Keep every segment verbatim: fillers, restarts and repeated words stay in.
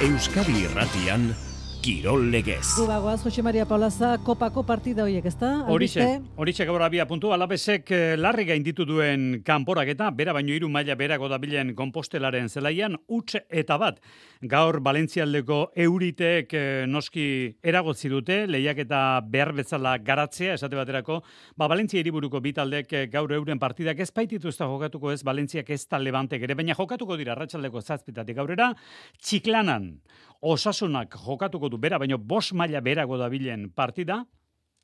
Euskadi Irratian Kirol Legez. Gubagoaz, Jose Maria Paulaza, kopako partida horiek, ezta? Horixe, horixe gaur abia puntu, Alavesek larri gainditu duen kanporaketa, bera baino hiru maila berako dabilen Konpostelaren zelaian, huts eta bat. Gaur Valentzialdeko Euriteek noski eragotzi dute, lehiaketa behar bezala garatzea, esate baterako, ba Valentzia hiriburuko bi taldek gaur euren partidak ez baititu ez da jokatuko ez, Valentziak ez da Levantek ere, baina jokatuko dira arratsaldeko zazpitatik aurrera, Txiklanan Osasunak jokatuko du bera, baino bost maila berago dabilen partida,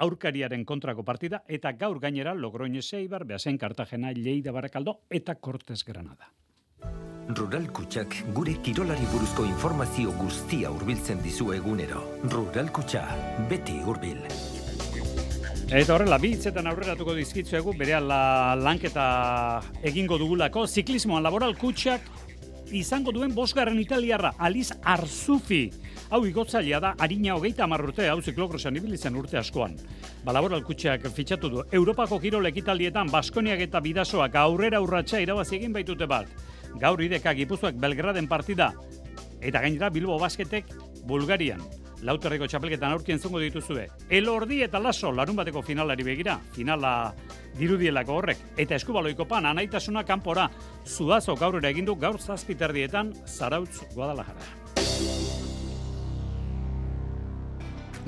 aurkariaren kontrako partida, eta gaur gainera Logroñez Eibar, Beasain Cartagena, Lleida Barakaldo eta Cortes Granada. Rural Kutxak gure kirolari buruzko informazio guztia hurbiltzen dizu egunero. Rural Kutxa, beti hurbil. Eta horrela, bi hitzetan aurreratuko dizkitzuegu, berehala lanketa egingo dugulako, ziklismoan Laboral Kutxak izango duen bosgarren italiarra, Aliz Arzufi. Hau igotzailea da, harina hogeita hamar urte, hau ziklokrosan ibilitzen urte askoan. Ba, Laboral Kutxak fitxatu du. Europako kirol ekitaldietan Baskoniak eta Bidasoak aurrera urratsa irabazi egin baitute bat. Gaur ideka Gipuzkoak Belgraden partida. Eta gainera Bilbo Basketek Bulgarian. Lauterreko txapelketan aurki entzungo dituzue. Elordi eta Laso larun bateko finalari begira. Finala dirudielako horrek. Eta eskubaloiko pan, anaitasuna kanpora. Zuazo gaurera egindu gaur zazpiterdietan Zarautz Guadalajara.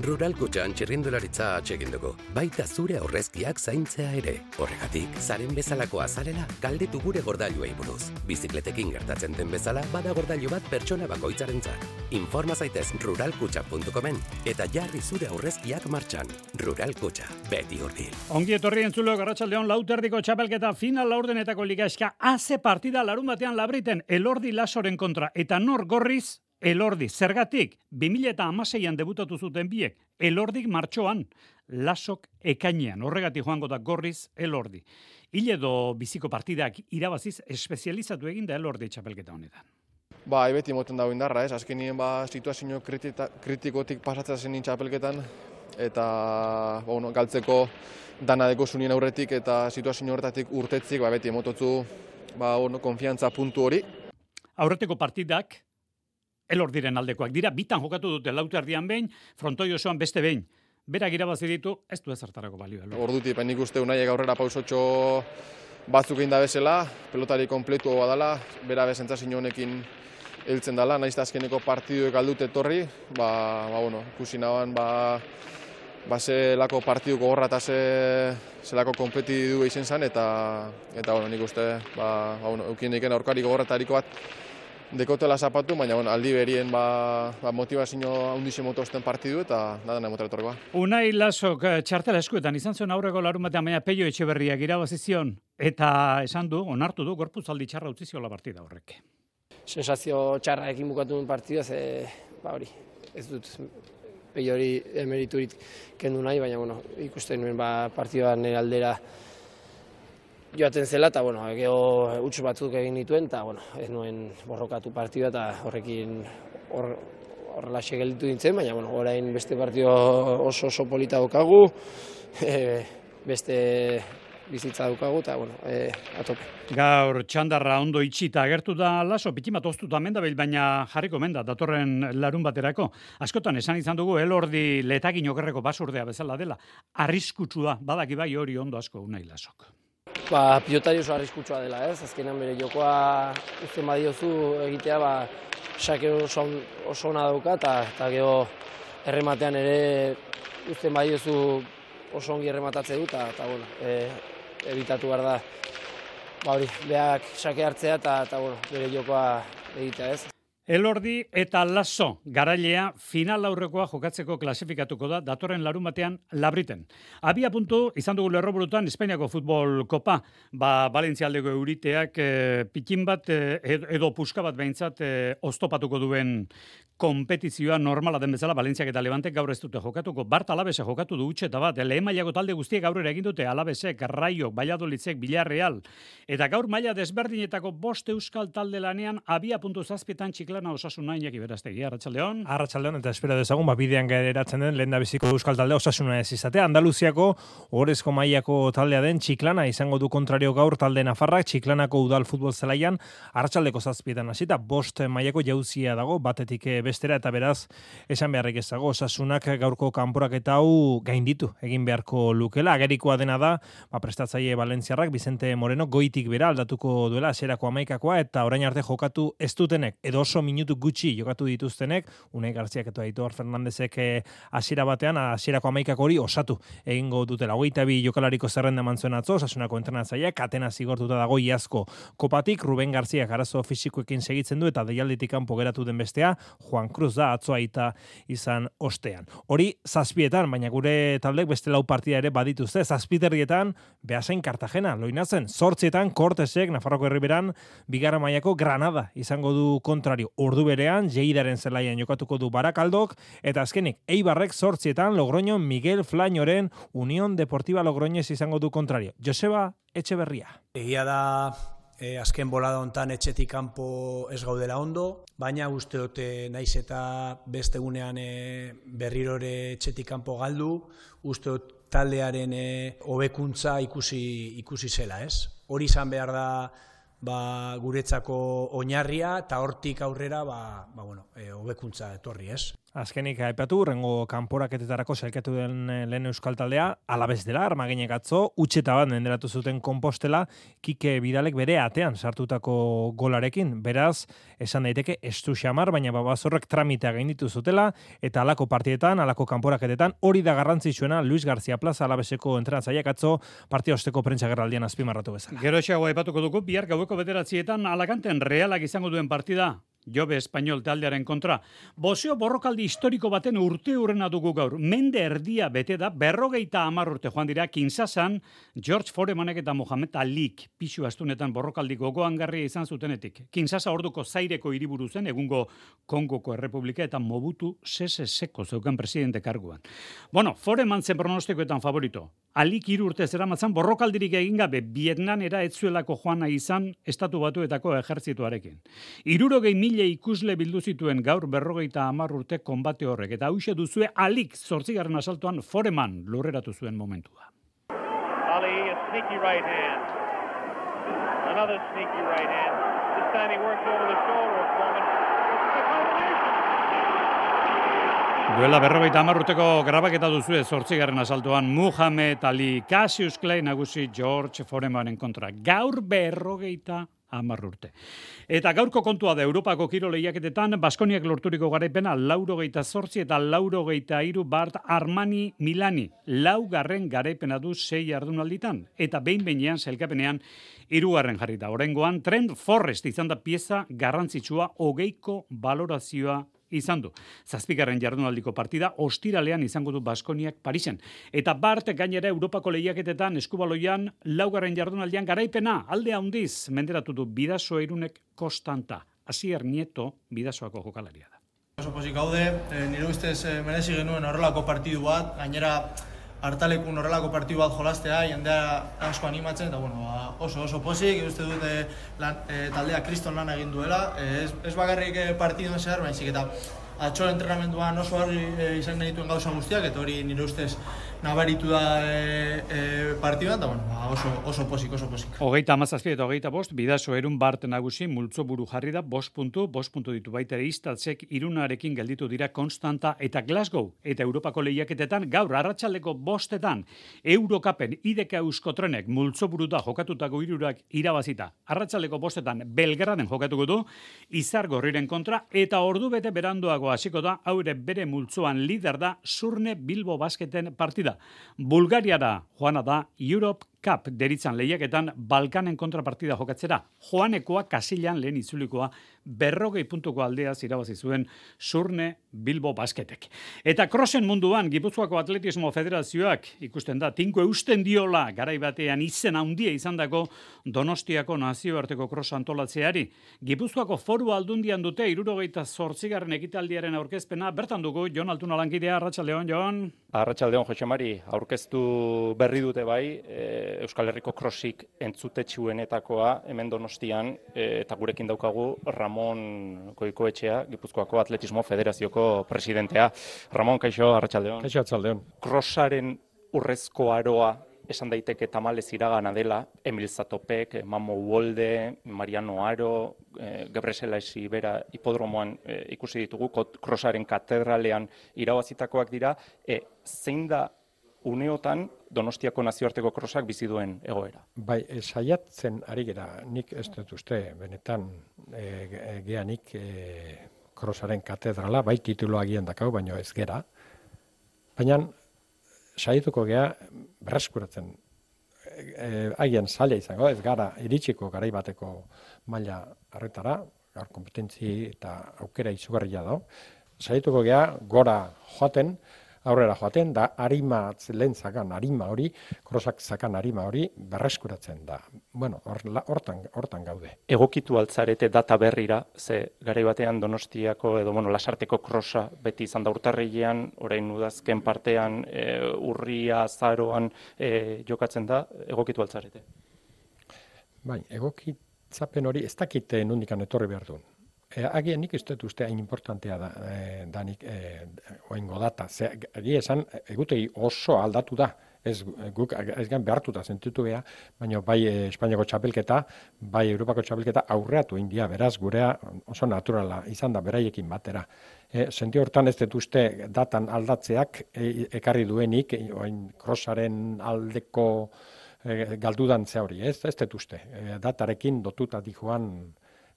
Rural Kutxan txirrindularitza atsegin dugu, baita zure aurrezkiak zaintzea ere. Horregatik, zaren bezalako azalela galdetu gure gordailuei buruz. Bizikletekin gertatzen den bezala, bada gordailu bat pertsona bakoitzarentzat. Informa zaitez rural kutxa puntu comen eta jarri zure aurrezkiak martxan. Rural Kutxa, beti hurbil. Ongi etorri entzuleok, arratsaldon lauterdiko txapelketa final laurdenetako ligaxka haze partida larun batean Labriten Elordi Lasoren kontra eta nor gorriz Elordi, zergatik, bi mila hamaseian debutatu zuten biek, Elordik martxoan, Lasok ekainean, horregatik joango da gorriz Elordi. Hil edo biziko partidak irabaziz espezializatu egin da Elordi txapelketa honetan. Ba, beti moten dago indarra, ez? Azkenien ba, situazio kritita, kritikotik pasatzen zen txapelketan, eta ba, bueno, galtzeko dana deko zunien aurretik, eta situazio horretatik urtetzik, ba, beti emototzu ba, bueno, konfiantza puntu hori. Aurreteko partidak, Elordiren aldekoak dira, bitan jokatu dute lauterdian behin, frontoi osoan beste behin. Berak irabazi ditu, ez du ezertarako balio. Ordutik, nik uste unaiek aurrera pausotxo batzuk egin da bezala, pelotari kompletu badala, bera bezentzazio honekin heltzen dela, nahiz da azkeneko partiduek aldute etorri, ba, ba, bueno, ikusi naban, ba, ba zelako partiduko gorra eta ze, zelako kompetidu izen zen, eta, eta bueno, nik uste, ba, ba, bueno, eukien eiken aurkariko gorratariko bat, dekotela zapatu, baina bueno, aldi berien ba, ba, motivazio handixe motozten partidu eta nada nahi motela etorrikoa. Unai Lasok txartela eskuetan izan zuen aurreko larun batean, baina Peio Etxeberriak irabazi zion eta esan du, onartu du, gorpuzaldi txarra utzi ziola partida horrek. Sensazio txarra ekin bukatu duen partida, ze, ba hori, ez dut Peio hori emeriturik kendu nahi, baina bueno, ikusten nuen ba, partiduan aldera joaten zela, eta bueno, geho huts batzuk egin dituen, eta bueno, ez nuen borrokatu partida, eta horrekin horrela hor gelditu dintzen, baina bueno, orain beste partido oso oso polita daukagu, e, beste bizitza daukagu, eta bueno, e, atope. Gaur txandarra ondo itxita agertu da Laso, pikimat oztuta mendabil, baina jarriko menda, datorren larun baterako. Askotan esan izan dugu, Elordi letagin okerreko basurdea bezala dela, arriskutsua, badaki bai hori ondo asko Unai Lasok. Ba, pilotari oso arriskutsua dela, ez? Azkenan bere jokoa uzten badiozu egitea, ba, sake oso, oso ona dauka, eta gero errematean ere uzten badiozu oso ongi errematatze du, eta bueno, e, evitatu behar da, ba hori, beak sake hartzea, eta bueno, bere jokoa egitea, ez? Elordi eta Laso garailea final aurrekoa jokatzeko klasifikatuko da datorren larun batean Labriten. Abia puntu izan dugu lerroburutan Espainiako futbol kopa, ba Valentzialdeko Euriteak e, pikin bat e, edo puska bat behintzat e, oztopatuko duen kompetizioa normala den bezala Valentziak eta Levantek gaur ez dute jokatuko. Bart Alavese jokatu du utxe eta bat, lehen mailako talde guztiek aurrera egin dute, Alavesek, Raio, Valladolidzek, Villarreal, eta gaur maila desberdinetako bost euskal talde lanean abia puntu zazpietan Txiklana Osasuna Iñaki Berastegi, Arratsaldeon. Arratsaldeon, eta espero dezagun, ba, bidean geratzen den lehendabiziko euskal taldea Osasuna ez izatea. Andaluziako ohorezko mailako taldea den Txiklana izango du kontrario gaur talde nafarrak, Txiklanako udal futbol zelaian, arratsaldeko zazpietan hasita, bost mailako jauzia dago, batetik beste bestera, eta beraz, esan beharrik ez dago, Osasunak gaurko kanporaketa hau gainditu egin beharko lukela. Agerikoa dena da, ba, prestatzaile Valentziarrak, Vicente Moreno, goitik bera aldatuko duela, hasierako hamaikakoa, eta orain arte jokatu ez dutenek, edo oso minutu gutxi jokatu dituztenek, Unai Garziak eta Aitor Fernandezek hasiera batean, hasierako hamaikako hori osatu egingo dutela. Hogeita bi jokalariko zerrenda eman zuen atzo, Osasunako entrenatzaileak, katena zigortuta dago iazko kopatik, Ruben Garziak arazo fisikoekin segitzen du, eta deialditik kanpo geratu den bestea, Juan Cruz da, atzo aita izan ostean. Hori zazpietan, baina gure taldek beste lau partida ere badituzte, zazpiterrietan, Beasain Cartagena, loinatzen, zortzietan, Kortesek, Nafarroko Herriberan, bigarren mailako Granada izango du kontrario. Ordu berean, Lleidaren zelaian jokatuko du Barakaldok, eta azkenik, Eibarrek zortzietan, Logroño, Miguel Flañoren, Unión Deportiva Logroñez izango du kontrario. Joseba Etxeberria. Egia da, E, azken bolada hontan etxetik kanpo ez gaudela ondo, baina uste dute naiz eta beste egunean e, berrirore etxetik kanpo galdu, uste dut taldearen e, hobekuntza ikusi ikusi zela, ez? Hori izan behar da ba, guretzako oinarria, eta hortik aurrera ba, ba, bueno, e, hobekuntza etorri, ez? Azkenik aipatu, rengo kanporaketetarako sailkatu den lehen euskal taldea, Alabez dela, Armaginek atzo, utxeta bat menderatu zuten Konpostela, Kike Bidalek bere atean sartutako golarekin. Beraz, esan daiteke estu xamar, baina babazorrek tramitea gainditu zutela, eta alako partietan, alako kanporaketetan, hori da garrantzitsuena Luis García Plaza Alabezeko entrenatzaileak atzo partia osteko prentsa gerraldian azpimarratu bezala. Gero xagoa aipatuko dugu, bihar gaueko bederatzietan Alakanten Realak izango duen partida. Jobe Espainol taldearen kontra. Bozeo borrokaldi historiko baten urte urrena dugu gaur. Mende erdia bete da, berrogeita hamar urte joan dira, Kinsasan, George Foremanek eta Mohamed Alik pixu astunetan borrokaldi gogoangarria izan zutenetik. Kinsasa orduko Zaireko hiriburu zen, egungo Kongoko Errepublika, eta Mobutu Sese Seko zeukan presidente karguan. Bueno, Foreman zen pronostikoetan favorito. Alik hiru urte zeramatzan borrokaldirik egin gabe Vietnamera ez zuelako joana izan Estatu Batuetako ejertzituarekin. Hirurogei mila ikusle bildu zituen gaur berrogeita hamar urte konbate horrek, eta hauxe duzue Alik zortzigarren asaltoan Foreman lurreratu zuen momentua. Ali, a sneaky right hand. Another sneaky right hand. This time he works over the shoulder of Foreman. Duela berrogeita hamar urteko grabaketa duzue zortzigarren asaltoan Muhammad Ali, Cassius Clay nagusi George Foremanen kontra. Gaur berrogeita hamar urte. Eta gaurko kontua da Europako kiro lehiaketetan Baskoniak lorturiko garaipena laurogeita zortzi eta laurogeita hiru Bart Armani Milani. Laugarren garaipena du sei jardunalditan. Eta behin behinean sailkapenean hirugarren jarrita. Oraingoan Trent Forrest izan da pieza garrantzitsua, hogeiko balorazioa izan du. Zazpigarren jardunaldiko partida ostiralean izango du Baskoniak Parisen. Eta Bart gainera Europako lehiaketetan eskubaloian laugarren jardunaldian garaipena alde handiz menderatu du Bidaso Irunek Konstanta. Asier Nieto Bidasoako jokalaria da. Oso pozik gaude, e, nire ustez e, merezi genuen horrelako partidu bat, gainera hartalekun horrelako partidu bat jolastea, jendea asko animatzen, eta bueno, ba, oso oso pozik, uste dute lan, e, taldea kriston lan egin duela, e, ez, ez bakarrik e, partiduen zehar, baizik eta atxo entrenamenduan oso argi e, izan genituen gauza guztiak, eta hori nire ustez nabaritu da e, e, partidua, eta bueno, ba, oso, oso pozik, oso pozik. Hogeita amazazpi eta hogeita bost, Bidaso Erun Bart nagusi multzo buru jarri da, bost puntu, bost puntu ditu baita ere Istatzek Irunarekin gelditu dira Konstanta eta Glasgow, eta Europako lehiaketetan gaur arratsaldeko bostetan Eurokapen ideka Euskotrenek multzo buru da jokatutako hirurak irabazita. Arratsaldeko bostetan Belgraden jokatuko du Izar Gorriren kontra, eta ordu bete beranduago hasiko da, haure bere multzoan lider da Surne Bilbo Basketen partida. Bulgariara joana da Europe Cup deritzan lehiaketan Balkanen kontrapartida jokatzera. Joanekoa Kasilan lehen itzulikoa berrogei puntuko aldeaz irabazi zuen Surne Bilbo Basketek. Eta krosen munduan Gipuzkoako Atletismo Federazioak ikusten da tinko eusten diola garai batean izen handia izandako Donostiako nazioarteko kros antolatzeari. Gipuzkoako Foru Aldundian dute hirurogeita zortzigarren ekitaldiaren aurkezpena. Bertan dugu Jon Altuna lankidea. Arratsaldeon, Jon. Arratsaldeon, Jose Mari. Aurkeztu berri dute bai, e, Euskal Herriko krosik entzutetsuenetakoa hemen Donostian, e, eta gurekin daukagu Ramon Goikoetxea, Gipuzkoako Atletismo Federazioko presidentea. Ramon, kaixo, arratsaldeon. Kaixo, arratsaldeon. Krosaren urrezko aroa esan daiteke tamalez iragana dela, Emil Zatopek, Mamo Uolde, Mariano Aro, e, Gebreselaesi bera hipodromoan e, ikusi ditugu, krosaren katedralean irabazitakoak dira, e, zein da uneotan Donostiako nazioarteko krosak bizi duen egoera? Bai, saiatzen ari gera, nik ez dut uste, benetan e, geanik e, krosaren katedrala, bai tituloa gian dakau, baina ez gera. Baina saietuko gea berreskuratzen. E, Agian zaila izango, ez gara iritsiko garaibateko maila harretara, gaur kompetentzi eta aukera izugarria da. Saietuko gea gora joaten, aurrera joaten, da arima lehen zakan, arima hori, krosak zakan arima hori berreskuratzen da. Bueno, hortan, hortan gaude. Egokitu altzarete data berrira, ze garai batean Donostiako edo bueno, Lasarteko krosa beti izan da urtarrilean, orain udazken partean, e, urria, azaroan e, jokatzen da, egokitu altzarete. Bai, egokitzapen hori ez dakite nondikan etorri behar duen. E, agian nik ez dut uste hain importantea da, e, danik e, oingo data. Egia esan, egutegi oso aldatu da. Ez guk ez gan behartuta sentitu gea, baina bai e, Espainiako txapelketa, bai Europako txapelketa aurreatu india, beraz gurea oso naturala izan da beraiekin batera. E, sentio hortan ez dut uste datan aldatzeak e, ekarri duenik, e, oin krosaren aldeko e, galdudantzea hori, ez, ez dut uste. E, datarekin dotuta dijoan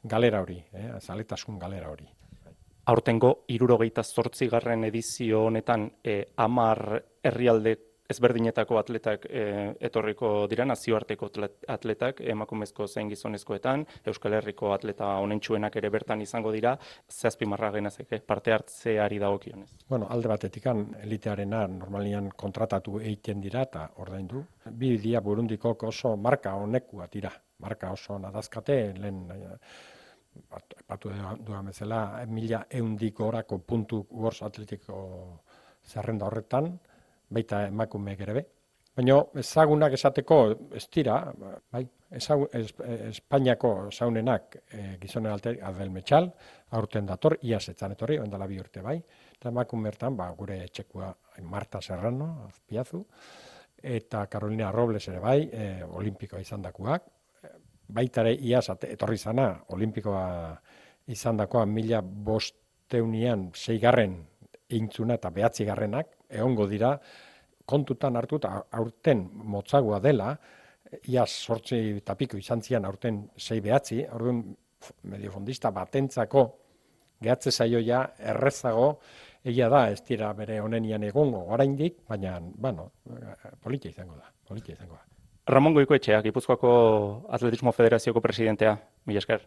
galera hori, eh, zaletasun galera hori. Aurtengo hirurogeita zortzigarren edizio honetan e, hamar herrialde ezberdinetako atletak e, etorriko dira, nazioarteko atletak, emakumezko zein gizonezkoetan, Euskal Herriko atleta onentsuenak ere bertan izango dira, zehazpimarra genezake, parte hartzeari dagokionez. Bueno, alde batetikan elitearena normalian kontratatu egiten dira eta ordaindu. Bi dia Burundiko oso marka honekua dira, marka oso nadazkate, lehen batu duan bezala, mila eundik orako puntu gorz atletiko zerrenda horretan, baita emakumeek ere be. Baina ezagunak esateko ez dira, bai, ezagun, es, Espainiako zaunenak e, gizonen alter, Adel Metxal, aurten dator, iaz etzan etorri, ondala bi urte bai, eta emakumertan, ba, gure etxekua Marta Serrano, Azpiazu, eta Carolina Robles ere bai, e, olimpikoa izan dakuak, baitare iaz etorri zana, olimpikoa izan dakoa mila bosteunian seigarren intzuna eta behatzigarrenak, egongo dira, kontutan hartu eta aurten motzagoa dela, iaz sortzi tapiko izan zian aurten sei behatzi, orduan mediofondista batentzako gehatze zaioia errezago, egia da, ez dira bere honenian egongo oraindik, baina, bueno, politia izango da, politia izango da. Ramon Goikoetxea, Gipuzkoako Atletismo Federazioko presidentea, mila esker.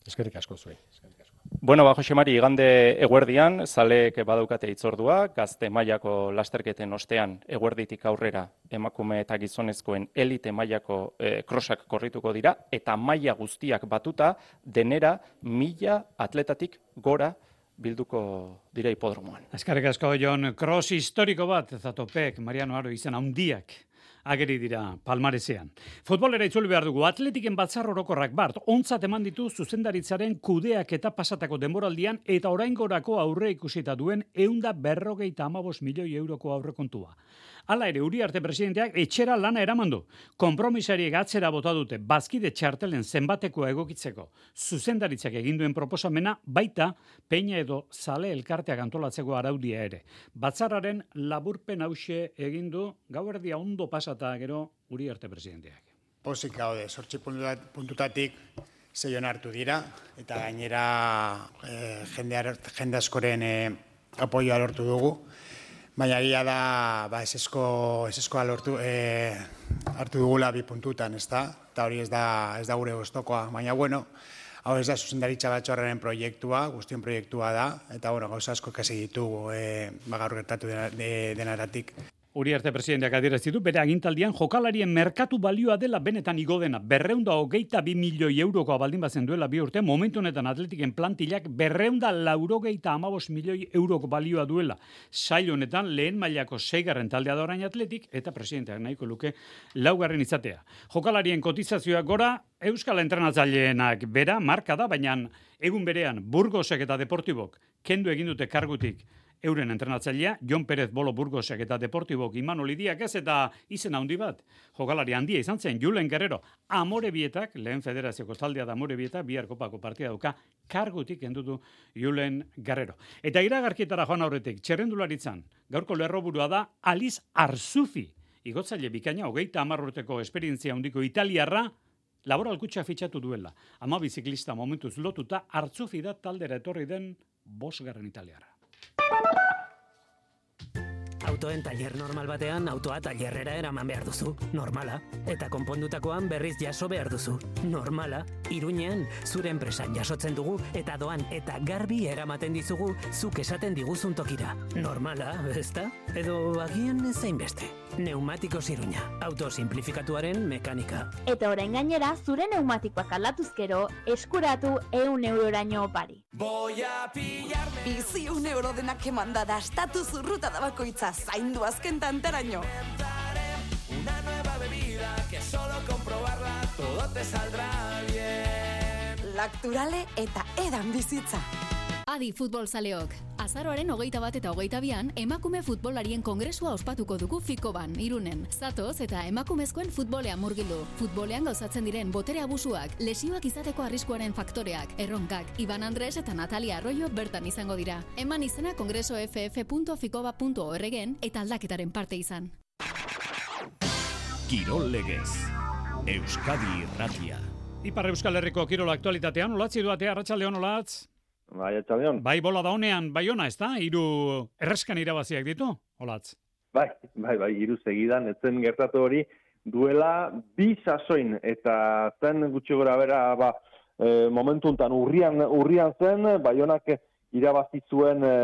Eskerrik asko zuei. Eskerrik asko. Bueno, ba, Jose Mari, igande eguerdian, zaleek badaukate hitzordua, gazte mailako lasterketen ostean eguerditik aurrera emakume eta gizonezkoen elite mailako e, krosak korrituko dira, eta maila guztiak batuta denera mila atletatik gora bilduko dira hipodromoan. Eskerrik asko, Jon, cross historiko bat, Zatopek, Mariano Aro izan handiak ageri dira palmarezean. Futbolera itzuli behar dugu, atletiken batzar orokorrak bart, ontzat eman ditu zuzendaritzaren kudeak eta pasatako denboraldian eta oraingorako aurre ikusita duen eunda berrogeita amabos milioi euroko aurrekontua. Hala ere, Uriarte presidenteak etxera lana eramandu. Konpromisariek atzera bota dute bazkide txartelen zenbatekoa egokitzeko. Zuzendaritzak egin duen proposamena baita peina edo zale elkarteak antolatzeko araudia ere. Batzarraren laburpen hause egin du gauerdia ondo pasata gero Uriarte presidenteak. Pozik gaude, sortzi puntutatik zeion hartu dira, eta gainera eh, jende, jende askoren eh, apoioa lortu dugu. Baina egia da, ba, esesko, eseskoa lortu, e, hartu dugula bi puntutan, ez da? Eta hori ez da, ez da gure gustokoa. Baina, bueno, hau ez da zuzendaritza batzorraren proiektua, guztion proiektua da, eta, bueno, gauza asko kasi ditugu, e, ba, gaur gertatu denaratik. Uriarte presidenteak adierazi du bere agintaldian jokalarien merkatu balioa dela benetan igo dena. Berreunda hogeita bi milioi eurokoa baldin bazen duela bi urte, momentu honetan atletiken plantilak berreunda laurogeita amabos milioi euroko balioa duela. Sail honetan lehen mailako seigarren taldea da orain atletik eta presidenteak nahiko luke laugarren izatea. Jokalarien kotizazioak gora, Euskal entrenatzaileenak bera marka da, baina egun berean Burgosek eta Deportibok kendu egin dute kargutik euren entrenatzailea, Jon Perez Bolo Burgosek eta Deportibok Imanol Idiak ez, eta izen handi bat, jokalari handia izan zen, Julen Guerrero, Amorebietak, lehen federazioko taldea da Amorebietak, bihar kopako partida dauka, kargutik endutu Julen Guerrero. Eta iragarkietara joan aurretik, txerrendularitzan, gaurko lerroburua da Aliz Arzufi, igotzaile bikaina, hogeita hamar urteko esperientzia handiko italiarra, Laboral Kutxa fitxatu duela. Ama biziklista momentuz lotuta, Arzufi da taldera etorri den bosgarren italiarra. Autoen tailer normal batean, autoa tailerrera eraman behar duzu. Normala. Eta konpondutakoan berriz jaso behar duzu. Normala. Iruñean, zure enpresan jasotzen dugu, eta doan eta garbi eramaten dizugu, zuk esaten diguzun tokira. Normala, ezta? Edo agian ezein beste. Neumatikos Iruña. Auto simplifikatuaren mekanika. Eta orain gainera, zure neumatikoak aldatuzkero, eskuratu ehun euroraino opari. Voy a pillarme. Bizi un euro denak emanda da, estatu zurruta da bakoitza, zaindu azken tantaraino. Una nueva bebida que solo comprobarla todo te saldrá bien. Lacturale eta edan bizitza. Adi futbol zaleok. Azaroaren hogeita bat eta hogeita bian, emakume futbolarien kongresua ospatuko dugu Fikoban, Irunen. Zatoz eta emakumezkoen futbolean murgildu. Futbolean gauzatzen diren botere abusuak, lesioak izateko arriskuaren faktoreak, erronkak, Iban Andres eta Natalia Arroyo bertan izango dira. Eman izena kongreso f f punto fikoba punto org-en eta aldaketaren parte izan. Kirol Legez, Euskadi Irratia. Ipar Euskal Herriko kirol aktualitatean, olatzi duatea, arratsaldeon olatz. Bai, atxaldeon. Bai, bola da honean, bai ona, ez da? Hiru erreskan irabaziak ditu, olatz? Bai, bai, bai, hiru segidan, etzen gertatu hori, duela bi sasoin, eta zen gutxi gora bera, ba, e, momentu untan urrian, urrian zen, bai honak irabazi zuen e,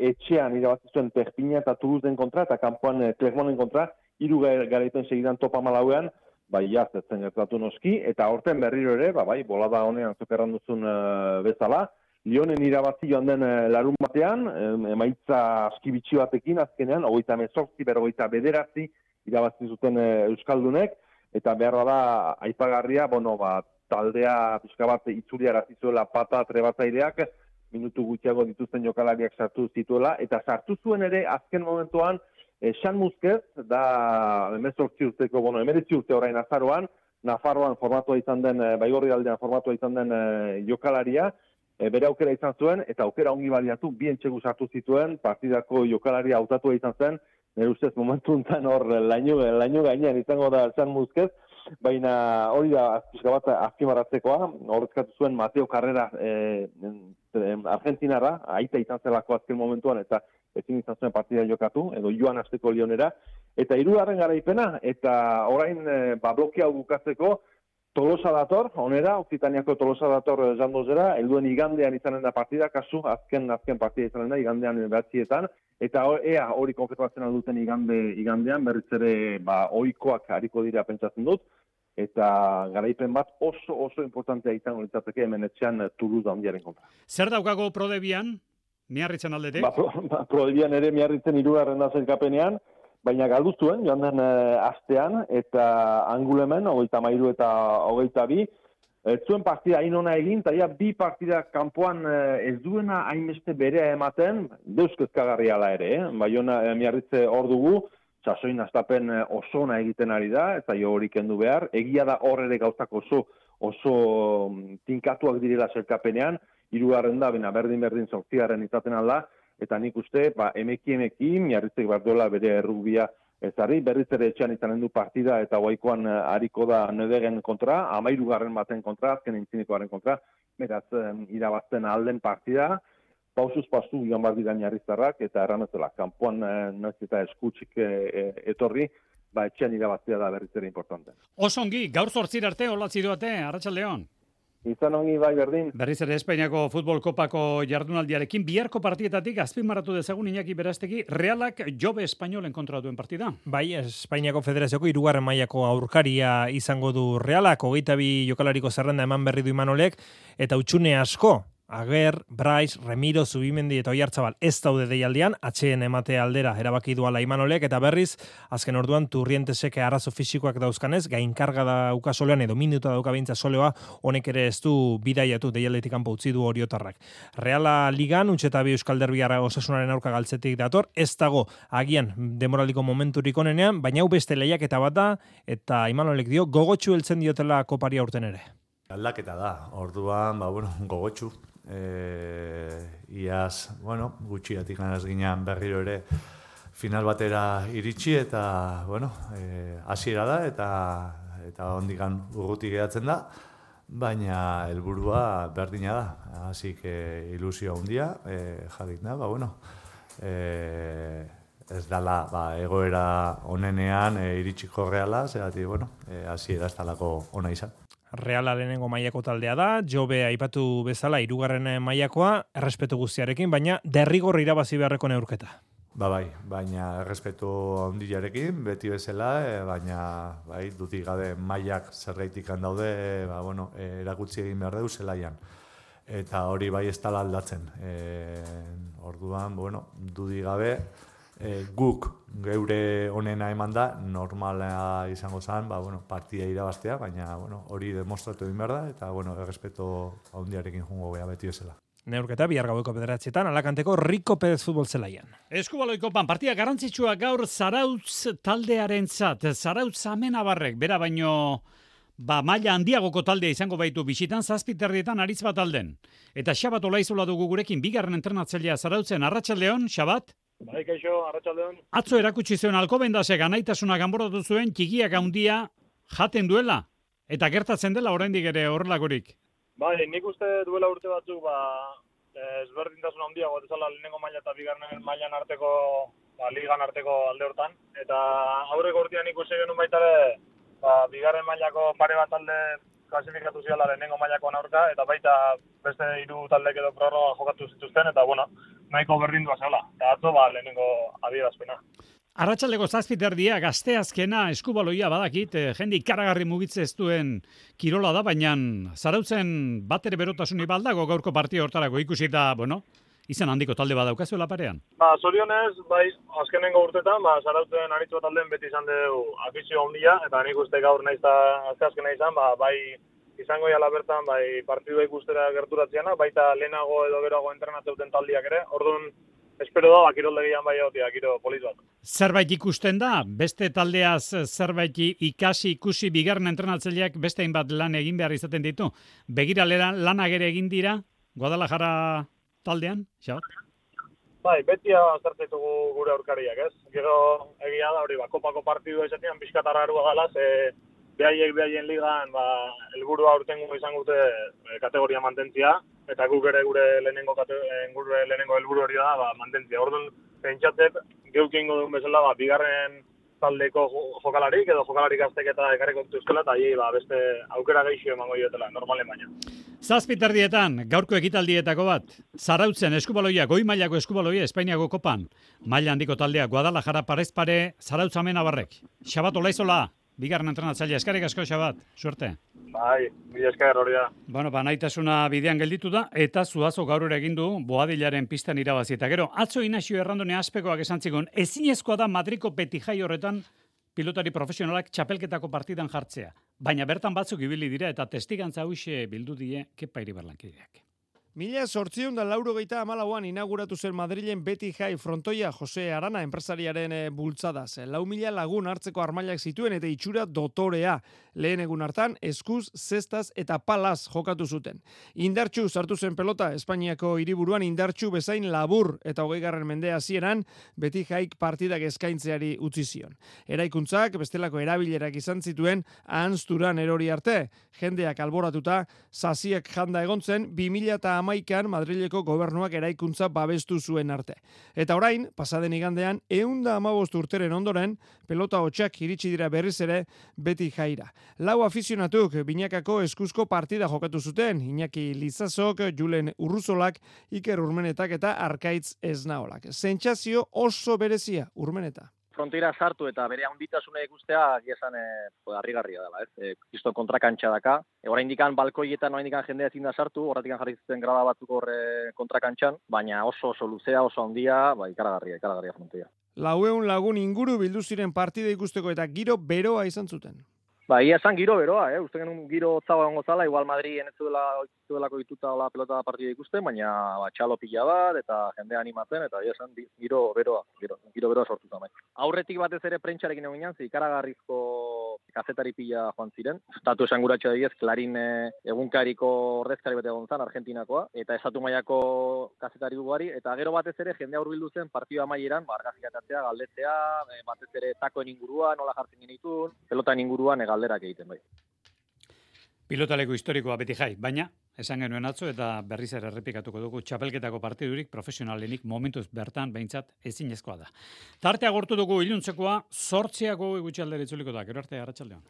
etxean, irabazi zuen Perpignan eta Toulouseen kontra, eta kanpoan e, Clermonten kontra, hiru garaipen segidan topa malauean, bai, jaz, etzen gertatu noski, eta horten berriro ere, ba, bai, bola da honean zokerran duzun e, bezala, Lionen irabazi joan den larun batean, emaitza askibitxi batekin azkenean, hogeita mezortzi, berrogeita bederatzi irabazi zuten Euskaldunek, eta behar da aipagarria, bueno, ba, taldea pixka bat itzulia zuela pata trebatzaileak, minutu gutxiago dituzten jokalariak sartu zituela, eta sartu zuen ere azken momentuan, San Muskez, da emezortzi urteko, bueno, emeretzi urte orain azaroan, Nafarroan formatua izan den, Baigorri aldean formatua izan den jokalaria, E, bere aukera izan zuen, eta aukera ongi baliatu, bien txegu sartu zituen, partidako jokalaria hautatua izan zen, nire ustez momentu enten hor laino, laino gainean izango da San Muskez, baina hori da pixka bat azpimarratzekoa, horrezkatu zuen Mateo Carrera e, Argentinarra, aita izan zelako azken momentuan, eta ezin izan zuen partida jokatu, edo joan hasteko Lionera, eta hirugarren garaipena, eta orain e, ba, blokea bukatzeko, Tolosa dator, onera, Okzitaniako Tolosa dator jandozera, helduen igandean izanen da partida, kasu, azken azken partida izanen da, igandean behatzietan, eta ea hori konfirmatzen alduten igande, igandean, berriz ere ba, oikoak hariko dira pentsatzen dut, eta garaipen bat oso oso importantea izango litzateke hemen etxean Toulouse handiaren kontra. Zer daukago Prodebian, miarritzen aldetik? Ba, pro, ba, Prodebian ere miarritzen hirugarren da zelkapenean, baina galdu zuen, joan den e, astean, eta angulemen, hogeita mairu eta hogeita bi, ez zuen partida hain ona egin, eta ja, bi partida kanpoan e, ez duena hainbeste berea ematen, deuskezkagarria ala ere, eh? Baiona e, miarritze hor dugu, sasoin astapen oso ona egiten ari da, eta jo hori kendu behar, egia da hor ere gauzak oso, oso tinkatuak direla zelkapenean, hirugarren da, bina berdin-berdin zortzigarren izaten alda, eta nik uste, ba, emeki emeki, miarritzek behar duela bere errugbia ezarri, berriz ere etxean izanen du partida, eta guaikoan hariko da Nedegen kontra, amairugarren baten kontra, azken intzinekoaren kontra, beraz, irabazten alden partida, pausuz pasu joan bat dira miarriztarrak, eta errametzela, kanpoan noiz eta eskutsik etorri, ba, etxean irabaztea da berriz ere importante. Osongi, gaur zortzir arte, olatzi duate, arratsaldeon. Izan ongi bai berdin. Berriz ere Espainiako futbol kopako jardunaldiarekin biharko partietatik azpimarratu dezagun Iñaki Berastegi, Realak Jobe Espainolen kontra duen partida. Bai, Espainiako Federazioko hirugarren mailako aurkaria izango du Realak, hogeita bi jokalariko zerrenda eman berri du Imanolek, eta utxune asko Ager, Brais, Remiro, Zubimendi eta Oiartzabal ez daude deialdian, atxeen emate aldera erabaki duala Imanolek, eta berriz, azken orduan Turrientesek arazo fisikoak dauzkanez, gainkarga dauka solean edo minuta dauka bintza soleoa, honek ere ez du bidaiatu deialdetik kanpo utzi du Oriotarrak. Reala Ligan, utxeta bi Euskal Derbiara Osasunaren aurka galtzetik dator, ez dago agian demoraliko momenturik onenean, baina hau beste lehiaketa bat da, eta Imanolek dio gogotsu heltzen diotela kopari aurten ere. Aldaketa da, orduan, ba, bueno, gogotsu. E, iaz, bueno, gutxiatik ganaz ginean berriro ere final batera iritsi eta, bueno, e, hasiera da eta eta ondikan urruti geratzen da, baina helburua berdina da, hasi que ilusio handia e, jarrik da, ba, bueno, e, ez dala, ba, egoera onenean e, iritsiko reala, zeratik, bueno, e, hasiera ez dalako ona izan. Reala lehenengo mailako taldea da, Jobe aipatu bezala hirugarren mailakoa, errespetu guztiarekin, baina derrigor irabazi beharreko neurketa. Ba bai, baina errespetu handiarekin, beti bezala, e, baina bai, dutik gabe mailak zergaitik daude, e, ba, bueno, e, erakutsi egin behar dugu zelaian. Eta hori bai ez dela aldatzen. E, orduan, bueno, dudik gabe, E, guk geure onena eman da, normala izango zen, ba, bueno, partida irabaztea, baina bueno, hori demostratu egin behar da, eta bueno, errespeto handiarekin jungo gea beti bezala. Neurketa bihar gaueko bederatzietan, Alakanteko Rico Pérez futbol zelaian. Eskubaloi kopan, partida garrantzitsua gaur Zarautz taldearentzat. Zarautz Amenabarrek, bera baino ba, maila handiagoko taldea izango baitu bisitan, zazpiterrietan aritz bat alden. Eta Xabat Olaizola dugu gurekin, bigarren entrenatzailea Zarautzen, Arratsaldeon, Xabat? Bai, kaixo, Arratsaldeon. Atzo erakutsi zuen Alkobendasek anaitasuna ganboratu zuen txikiak handia jaten duela eta gertatzen dela oraindik ere horrelakorik. Bai, nik uste duela urte batzuk ba ezberdintasun handia gotezala lehenengo maila eta bigarren mailan arteko, ba ligan arteko alde hortan eta aurreko urtean ikusi genuen baita ere ba bigarren mailako pare bat talde klasifikatu ziala lehenengo mailakoan aurka eta baita beste hiru taldek edo prorroga jokatu zituzten eta bueno, nahiko berdindua zehala. Eta atzo ba lehenengo adierazpena. Arratsaldeko zazpiterdia gazteazkena eskubaloia badakit, eh, jende ikaragarri mugitze ez duen kirola da, baina Zarautzen bat ere berotasuni baldago gaurko partida hortarako ikusita, bueno, izan handiko talde badaukazuela parean. Ba, zorionez, bai, azkenengo urtetan, ba, Zarautzen aritzu talden beti izan dugu afizio handia, eta nik uste gaur naiz da azkena izan, ba, bai, izango jala bertan, bai, partidua ikustera gerturatzeana, baita lehenago edo geroago entrenatzeuten taldiak ere, orduan, espero da, kiroldegian bai egotia, kiro polit bat. Zerbait ikusten da, beste taldeaz zerbait ikasi ikusi bigarren entrenatzaileak beste hainbat lan egin behar izaten ditu. Begiralera lanak ere egin dira, Guadalajara taldean, Xabat? Bai, beti azartetugu gure aurkariak, ez? Gero egia da, hori, ba, kopako partidua izatean pixkatarra erua gala, ze behaiek behaien ligan, ba, helburua aurtengo izango dute e, kategoria mantentzia, eta guk ere gure lehenengo gure lehenengo helburu hori da, ba, mantentzia. Orduan, pentsatzet, geuk ingo duen bezala, ba, bigarren taldeko jokalarik, edo jokalarik azteketa ekarriko dituzkela, eta hi, ba, beste aukera geixio emango diotela, normalen baina. Zazpiterdietan, gaurko ekitaldietako bat, Zarautzen eskubaloia, goi mailako eskubaloia, Espainiako kopan, maila handiko taldea, Guadalajara parez pare, Zarautz Amenabarrek. Xabat Olaizola, bigarren entrenatzailea, eskerrik asko, Xabat, suerte. Bai, mila esker hori da. Bueno, ba, nahitasuna bidean gelditu da, eta Zuazo gaur ere egin du Boadilaren pistan irabazi. Eta gero, atzo Inaxio Errandone azpekoak esan zigun, ezinezkoa da Madriko Petijai horretan pilotari profesionalak txapelketako partidan jartzea. Baina bertan batzuk ibili dira eta testigantza huixe bildu die Kepa Iribarlankideak. Mila sortziehun da laurogeita hamalauan inauguratu zen Madrilen Beti Jai frontoia Jose Arana enpresariaren e, bultzadaz. Lau mila lagun hartzeko armailak zituen eta itxura dotorea. Lehen egun hartan, eskuz, zestaz eta palaz jokatu zuten. Indartxu sartu zen pelota Espainiako hiriburuan indartxu bezain labur eta hogeigarren mendea hasieran Beti Jaik partidak eskaintzeari utzi zion. Eraikuntzak bestelako erabilerak izan zituen ahanzturan erori arte. Jendeak alboratuta, zaziak janda egontzen, bi mila eta hamaikan Madrileko gobernuak eraikuntza babestu zuen arte. Eta orain, pasaden igandean, ehun eta hamabost urteren ondoren, pelota hotxak iritsi dira berriz ere Beti Jaira. Lau afizionatuk binakako eskuzko partida jokatu zuten, Iñaki Lizazok, Julen Urruzolak, Iker Urmenetak eta Arkaitz Esnaolak. Sentsazio oso berezia, Urmeneta. fronteira sartu eta bere handitasuna ikustea esan eh harrigarria dela, ez? Eh, Kristo kontrakantxa daka. E, oraindikan balkoietan oraindikan jendea ezin da sartu, horratikan jarri zuten grada batzuk hor eh, kontrakantxan, baina oso oso luzea, oso handia, ba ikaragarria, ikaragarria fronteira. Laueun lagun inguru bildu ziren partida ikusteko eta giro beroa izan zuten. Ba, ia esan giro beroa, eh? Uste genuen giro hotza egongo zala, igual Madrid enezuela zuelako dituta la pelota partida ikusten, baina ba, txalo pila bat, eta jendea animatzen, eta ia esan giro beroa, giro, giro beroa sortuta bai. Aurretik batez ere prentxarekin egon ginen, ikaragarrizko kazetari pila joan ziren. Estatu esanguratxo diez, Klarin eh, egunkariko ordezkari bat egon zan, Argentinakoa, eta estatu mailako kazetari ugari, eta gero batez ere jendea hurbildu zen partida amaieran, ba, argazkikatzea, galdetzea, eh, batez ere takoen inguruan, nola jartzen genitun, pelotan inguruan, eh, galderak egiten bai. Pilotaleko historikoa beti jai, baina esan genuen atzo eta berriz ere errepikatuko dugu txapelketako partidurik profesionalenik momentuz bertan behintzat ezinezkoa da. Tartea gortu dugu iluntzekoa, zortziako gutxi aldera itzuliko da, gero arte arratsaldean.